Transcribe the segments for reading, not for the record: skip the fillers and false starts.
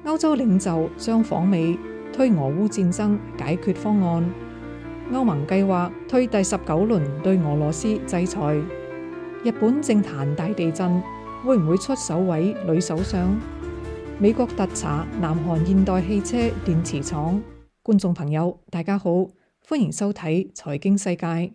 歐洲領袖將訪美，推俄烏戰爭解決方案。歐盟計劃推第19輪對俄羅斯制裁。日本政壇大地震，會唔會出首位女首相？美國特查南韓現代汽車電池廠。觀眾朋友，大家好，歡迎收睇財經世界。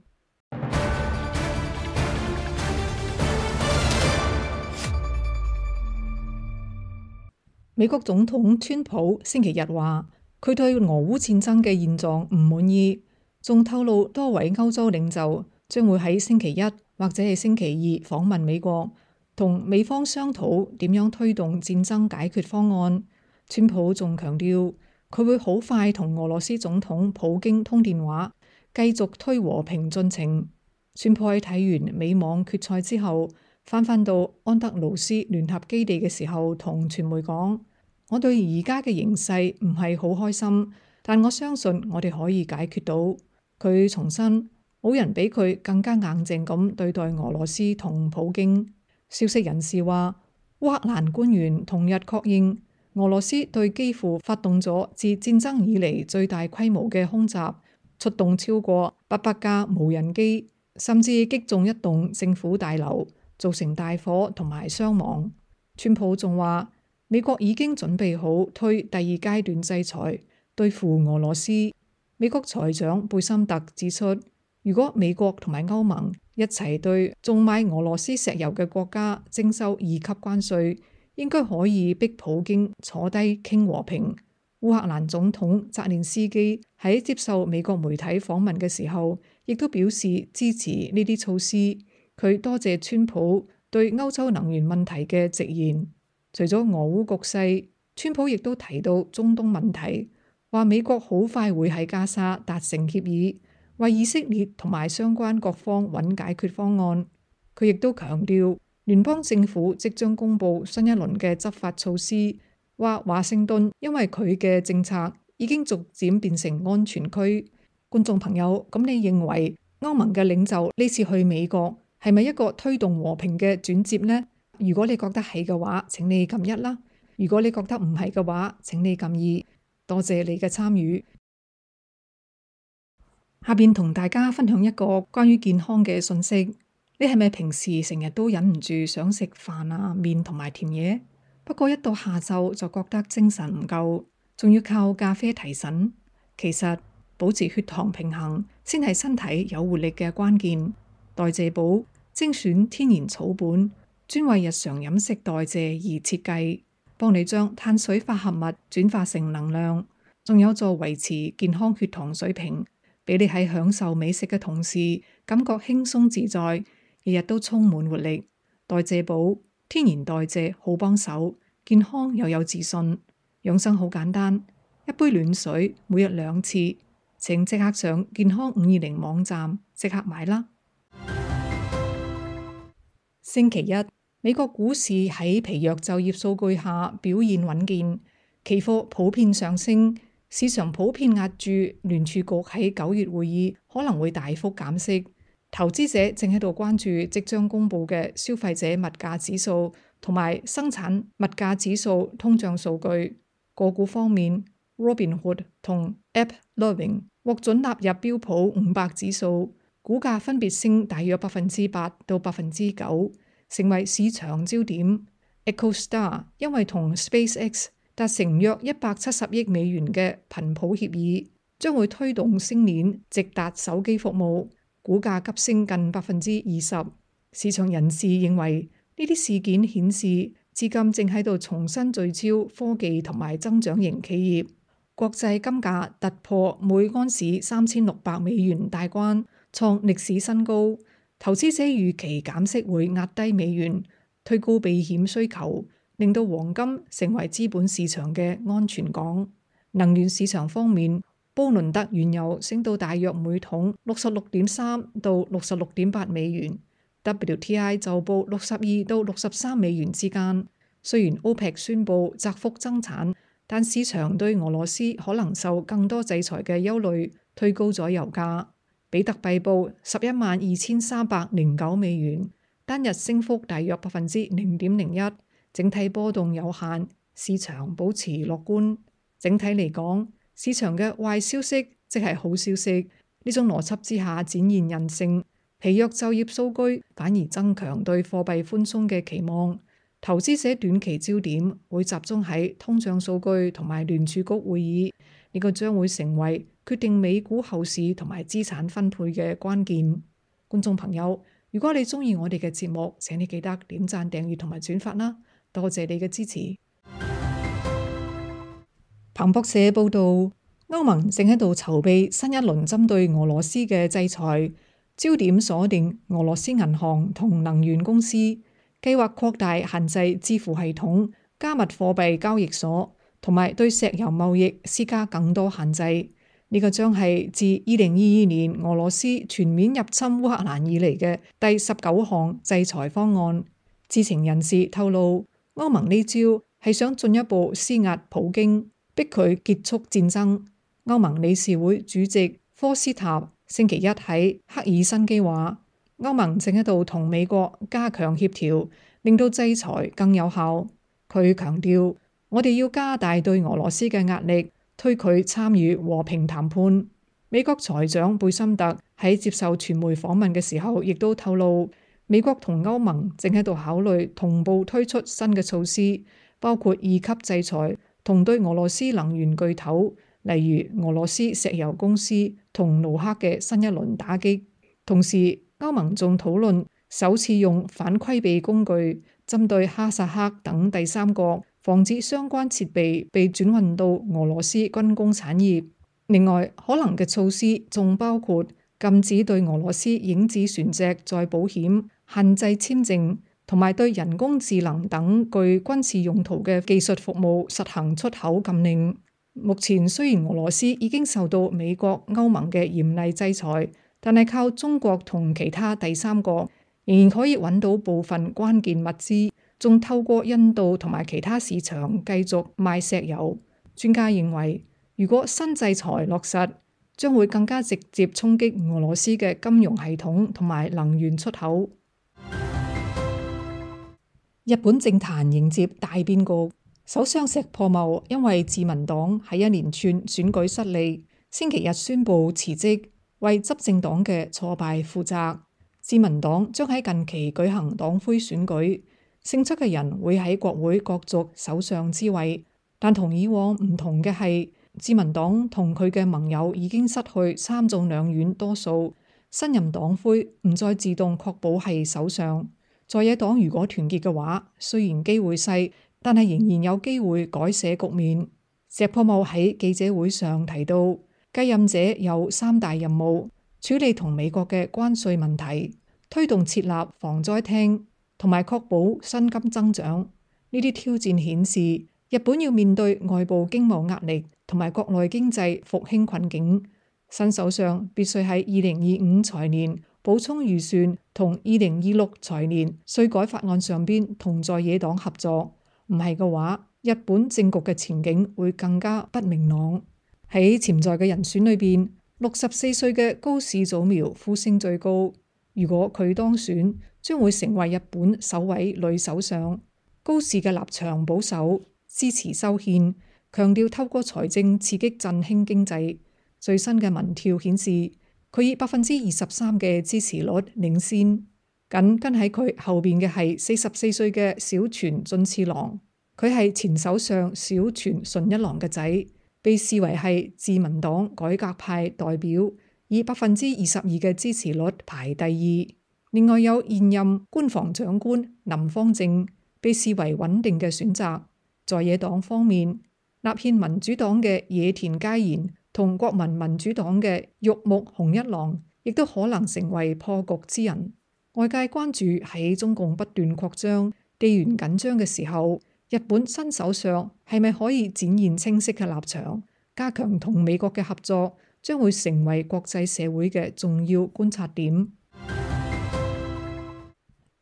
美國總統川普星期日話，佢對俄烏戰爭嘅現狀唔滿意，仲透露多位歐洲領袖將會喺星期一或者係星期二訪問美國，同美方商討點樣推動戰爭解決方案。川普仲強調，佢會好快同俄羅斯總統普京通電話，繼續推和平進程。川普喺睇完美網決賽之後，返到安德魯斯聯合基地嘅時候，同傳媒講：我對而家嘅形勢唔係好開心，但我相信我哋可以解決到。佢重申，冇人比佢更加硬淨咁對待俄羅斯同普京。消息人士話，烏克蘭官員同日確認，俄羅斯對基輔發動咗自戰爭以嚟最大規模嘅空襲，出動超過800架無人機，甚至擊中一棟政府大樓，造成大火同埋傷亡。川普仲話，美國已經準備好推第2階段制裁，對付俄羅斯。美國財長貝森特指出，如果美國同埋歐盟一齊對種買俄羅斯石油嘅國家徵收2級關稅，應該可以逼普京坐低傾和平。烏克蘭總統澤連斯基喺接受美國媒體訪問嘅時候，亦都表示支持呢啲措施。佢多謝川普對歐洲能源問題嘅直言。除咗俄烏局勢，川普亦都提到中東問題，話美國好快會喺加沙達成協議，為以色列同埋相關各方揾解決方案。佢亦都強調，聯邦政府即將公布新一輪嘅執法措施，話華盛頓因為佢嘅政策已經逐漸變成安全區。觀眾朋友，咁你認為歐盟嘅領袖呢次去美國係咪一個推動和平嘅轉折呢？如果你覺得係嘅話，請你撳1啦；如果你覺得唔係嘅話，請你撳2。多謝你嘅參與。下邊同大家分享一個關於健康嘅信息。你係咪平時成日都忍唔住想食飯啊、麵同埋甜嘢？不過一到下晝就覺得精神唔夠，仲要靠咖啡提神。其實保持血糖平衡先係身體有活力嘅關鍵。代謝寶精選天然草本，專為日常飲食代謝而設計，幫你將碳水化合物轉化成能量，仲有助維持健康血糖水平，俾你喺享受美食嘅同時，感覺輕鬆自在，日日都充滿活力。代謝寶天然代謝好幫手，健康又有自信。養生好簡單，一杯暖水，每日2次。請即刻上健康520網站即刻買啦。星期一，美國股市喺疲弱就業數據下表現穩健，期貨普遍上升，市場普遍押注聯儲局喺9月會議可能會大幅減息。投資者正喺度關注即將公布嘅消費者物價指數同埋生產物價指數通脹數據。個股方面， Robinhood 同 AppLovin 獲准納入標普500指數，股價分別升大約8%到9%，成為市場焦點。EchoStar 因為同 SpaceX 達成約170億美元嘅頻譜協議，將會推動星鏈直達手機服務，股價急升近20%。市場人士認為呢啲事件顯示資金正喺度重新聚焦科技同埋增長型企業。國際金價突破每安士$3600大關，創歷史新高。投資者預期減息會壓低美元，推高避險需求，令到黃金成為資本市場嘅安全港。能源市場方面，布倫特原油升到大約每桶66.3到66.8美元，WTI 就報62到63美元之間。雖然 OPEC 宣布窄幅增產，但市場對俄羅斯可能受更多制裁嘅憂慮推高咗油價。比特幣報112309美元，單日升幅大約0.01%，整體波動有限，市場保持樂觀。整體嚟講，市場嘅壞消息即係好消息。呢種邏輯之下展現人性，疲弱就業數據反而增強對貨幣寬鬆嘅期望。投資者短期焦點會集中喺通脹數據同埋聯儲局會議，呢個將會成為決定美股後市同埋資產分配嘅關鍵。觀眾朋友，如果你鍾意我哋嘅節目，請你記得點讚、訂閱同埋轉發啦，多謝你嘅支持。彭博社報道，歐盟正喺度籌備新一輪針對俄羅斯嘅制裁，焦點鎖定俄羅斯銀行同能源公司，計劃擴大限制支付系統、加密貨幣交易所，同埋對石油貿易施加更多限制。呢個將係自2022年俄羅斯全面入侵烏克蘭以嚟嘅第19項制裁方案。知情人士透露，歐盟呢招係想進一步施壓普京，逼佢結束戰爭。歐盟理事會主席科斯塔星期一喺赫爾辛基話，歐盟正喺度同美國加強協調，令到制裁更有效。佢強調，我哋要加大對俄羅斯嘅壓力，推佢參與和平談判。美國財長貝森特喺接受傳媒訪問嘅時候，亦都透露，美國同歐盟正喺度考慮同步推出新嘅措施，包括2級制裁同對俄羅斯能源巨頭，例如俄羅斯石油公司同盧克嘅新一輪打擊。同時，歐盟仲討論首次用反規避工具，針對哈薩克等第三國，防止相關設備被轉運到俄羅斯軍工產業。另外，可能嘅措施仲包括禁止對俄羅斯影子船隻再保險、限制簽證，同埋對人工智能等具軍事用途嘅技術服務實行出口禁令。目前雖然俄羅斯已經受到美國、歐盟嘅嚴厲制裁，但係靠中國同其他第三國仍然可以揾到部分關鍵物資，仲透過印度同埋其他市場繼續賣石油。專家認為，如果新制裁落實，將會更加直接衝擊俄羅斯嘅金融系統同埋能源出口。日本政壇迎接大變局，首相石破茂因為自民黨喺一連串選舉失利，星期日宣布辭職，為執政黨嘅挫敗負責。自民黨將喺近期舉行黨魁選舉，勝出嘅人會喺國會角逐首相之位。但同以往唔同嘅係，自民黨同佢嘅盟友已經失去參眾兩院多數，新任黨魁唔再自動確保係首相。在野黨如果團結嘅話，雖然機會細，但係仍然有機會改寫局面。石破茂喺記者會上提到，繼任者有3大任務：處理同美國嘅關稅問題，推動設立防災廳，同埋確保薪金增長。呢啲挑戰顯示，日本要面對外部經貿壓力同埋國內經濟復興困境。新首相必須喺2025財年補充預算同2026財年稅改法案上邊同在野黨合作，唔係嘅話，日本政局嘅前景會更加不明朗。喺潛在嘅人選裏邊，64歲嘅高市早苗呼聲最高。如果佢當選，將會成為日本首位女首相。高市嘅立場保守，支持修憲，強調透過財政刺激振興經濟。最新嘅民調顯示，佢以23%嘅支持率領先，緊跟喺佢後邊嘅係44歲嘅小泉進次郎，佢係前首相小泉純一郎嘅仔，被視為係自民黨改革派代表，以22%嘅支持率排第2。另外有現任官房長官林芳正，被視為穩定嘅選擇。在野黨方面，立憲民主黨嘅野田佳彥同國民民主黨嘅玉木雄一郎，亦都可能成為破局之人。外界關注喺中共不斷擴張、地緣緊張嘅時候，日本新首相係咪可以展現清晰嘅立場，加強同美國嘅合作，將會成為國際社會嘅重要觀察點。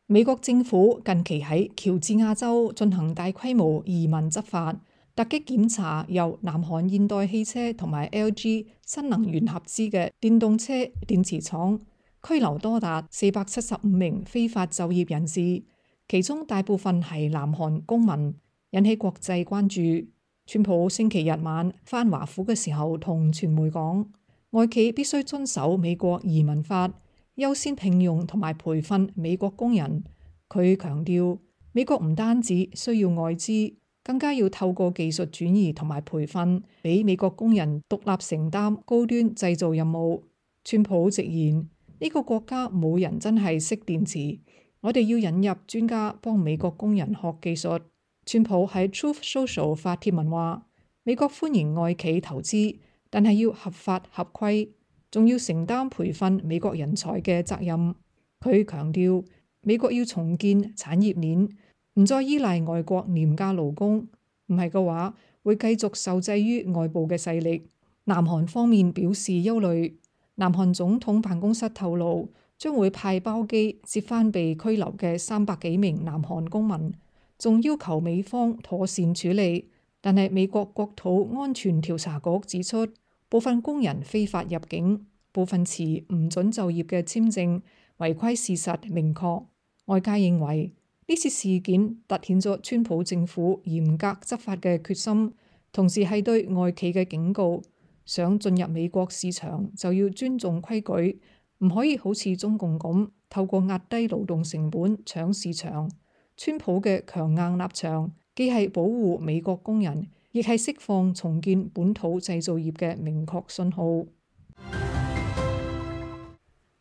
美國政府近期喺喬治亞州進行大規模移民執法，突擊檢查由南韓現代汽車同埋 LG 新能源合資嘅電動車電池廠，拘留多達475名非法就業人士，其中大部分係南韓公民。引起國際關注。川普星期日晚返華府嘅時候同傳媒講，外企必須遵守美國移民法，優先聘用同埋培訓美國工人。佢強調，美國唔單止需要外資，更加要透過技術轉移同埋培訓，俾美國工人獨立承擔高端製造任務。川普直言，呢個國家冇人真係識電池，我哋要引入專家幫美國工人學技術。川普喺 Truth Social 發帖文話，美國歡迎外企投資，但係要合法合規，仲要承擔培訓美國人才嘅責任。佢強調，美國要重建產業鏈，唔再依賴外國廉價勞工，唔係嘅話會繼續受制於外部嘅勢力。南韓方面表示憂慮，南韓總統辦公室透露，將會派包機接返被拘留嘅300幾名南韓公民，仲要求美方妥善處理。但係美國國土安全調查局指出，部分工人非法入境，部分持唔准就業嘅簽證，違規事實明確。外界認為呢次事件凸顯咗川普政府嚴格執法嘅決心，同時係對外企嘅警告，想進入美國市場就要尊重規矩，唔可以好似中共咁透過壓低勞動成本搶市場。川普嘅強硬立場既係保護美國工人，亦係釋放重建本土製造業嘅明確信號。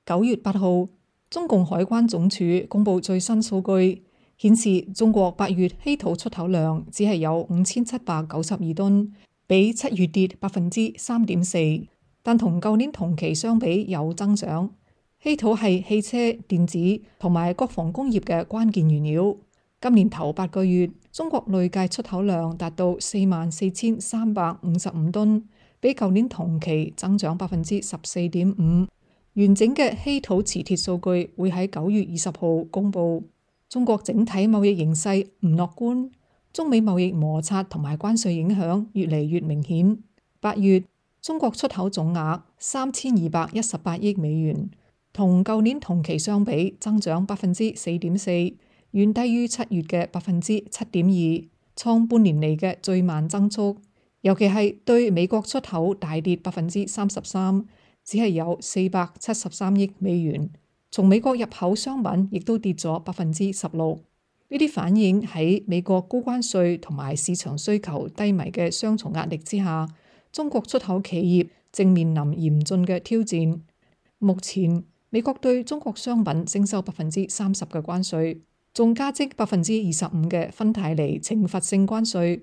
9月8號，中共海關總署公布最新數據，顯示中國8月稀土出口量只係有5792噸，比7月跌3.4%，但同舊年同期相比有增長。稀土係汽車、電子同埋國防工業嘅關鍵原料。今年頭8個月，中國累計出口量達到44,355噸，比舊年同期增長14.5%。完整嘅稀土磁鐵數據會喺9月20號公佈。中國整體貿易形勢唔樂觀，中美貿易摩擦同埋關稅影響越嚟越明顯。8月，中國出口總額3218億美元，同舊年同期相比增長4.4%。遠低於7月嘅7.2%，創半年嚟嘅最慢增速。尤其係對美國出口大跌33%，只係有473億美元。從美國入口商品亦都跌咗16%。呢啲反映喺美國高關稅同埋市場需求低迷嘅雙重壓力之下，中國出口企業正面臨嚴峻嘅挑戰。目前美國對中國商品徵收30%嘅關稅，仲加徵25%嘅芬太尼懲罰性關稅。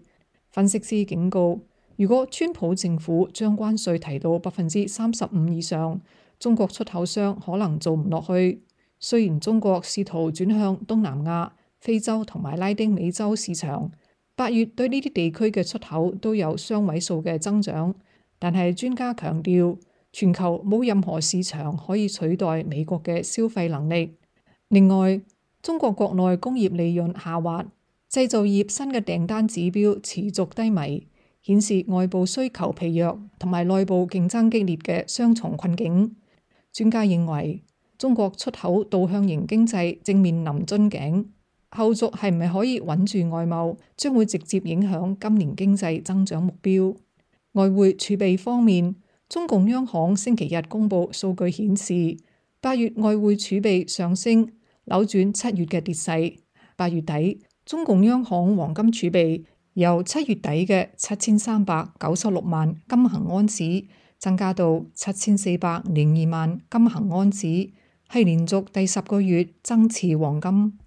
分析師警告，如果川普政府將關稅提到35%以上，中國出口商可能做唔落去。雖然中國試圖轉向東南亞、非洲同埋拉丁美洲市場，8月對呢啲地區嘅出口都有雙位數嘅增長，但係專家強調，全球冇任何市場可以取代美國嘅消費能力。另外，中國國內工業利潤下滑，製造業新嘅訂單指標持續低迷，顯示外部需求疲弱同埋內部競爭激烈嘅雙重困境。專家認為，中國出口導向型經濟正面臨樽頸，後續係唔係可以穩住外貿，將會直接影響今年經濟增長目標。外匯儲備方面，中共央行星期日公布數據顯示，8月外匯儲備上升，扭轉7月嘅跌勢。8月底，中共央行黃金儲備由7月底嘅7396萬金衡安士增加到7402萬金衡安士，係連續第10個月增持黃金。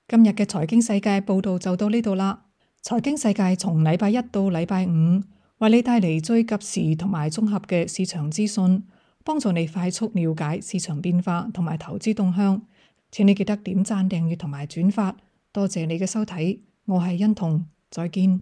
今日嘅財經世界報道就到呢度啦。財經世界從禮拜一到禮拜五，為你帶嚟最及時同埋綜合嘅市場資訊，幫助你快速了解市場變化同埋投資動向。請你記得點讚、訂閱同埋轉發。多謝你嘅收睇，我係欣彤，再見。